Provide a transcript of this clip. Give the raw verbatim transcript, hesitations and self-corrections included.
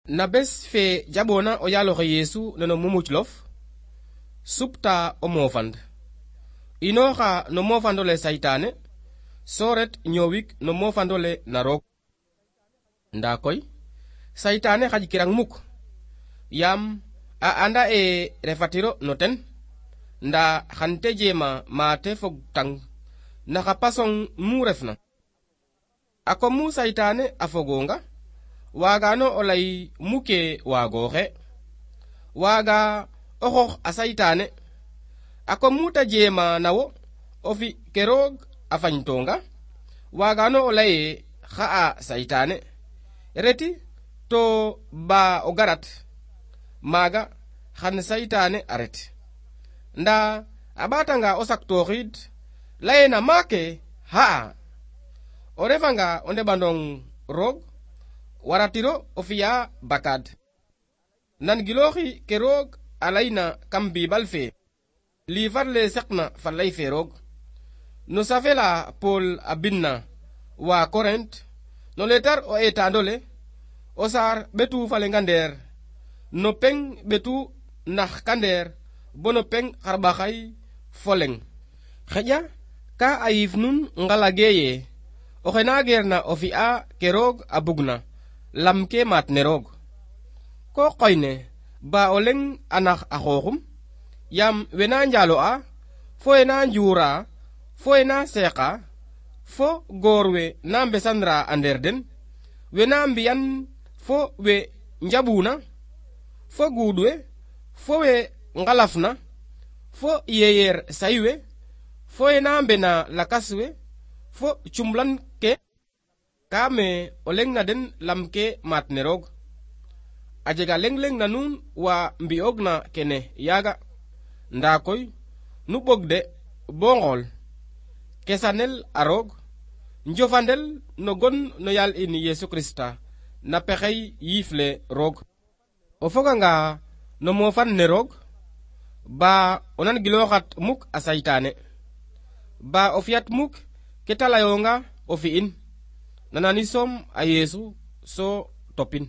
Na bes fe jabona o yaloxe Yesu neno mumuclof supta o mofand inoxa no mofandole saytane soret ñowik no mofandole na roog nda koy saytane xaj kirang muk yam a anda e refatiro no ten nda xante jema mate fog tang naxa pasong mu refna a kom mu saytane a fogonga wagano o lay muke wagoxe waga o xox a saytane a kom mu ta jema nawo o fi ke roog a fañtonga wagano o laye xa a saytane reti to ba o garat maga xan saytane a ret nda a ɓatanga o saktoxid layena make xa a o refanga o ndeɓandong roog waratiro o fiya bakad nan giloxi ke roog a layna kam bibal fe livre le seqna fa lay fe roog no safela Paul a binna wa Korint no letar o etandole o sar ɓetu falenga ndeer no peng ɓetu nax kandeer bo no peng xarɓaxay foleng xeƴa ka a yiif nun ngalage ye oxe na geerna o fi'a ke roog a bugna lam ke maat ne roog ko qoyne ba o leng a nax a xooxum yam wena njalo'a fo wena njuura fo wena seeqa fo goor we na mbesanra a ndeer den wena mbiyan fo we njaɓuna fo guud we fo we ngalafna fo yeyeer say we fo wena mbena lakas we fo cumlan ke ka me o leng na den lam ke maat ne roog a jega leng leng na nuun wa mbi'oog na kene yaaga nda koy nu ɓog de bo ngool kesanel a roog njofandel no gon no yaal in Yesu Krista na pexey yiif le roog o foganga no mofan ne roog ba o nan giloxat muk a saytane ba o fiyat muk ke ta layonga o fi'in nanani soom a Yesu so topin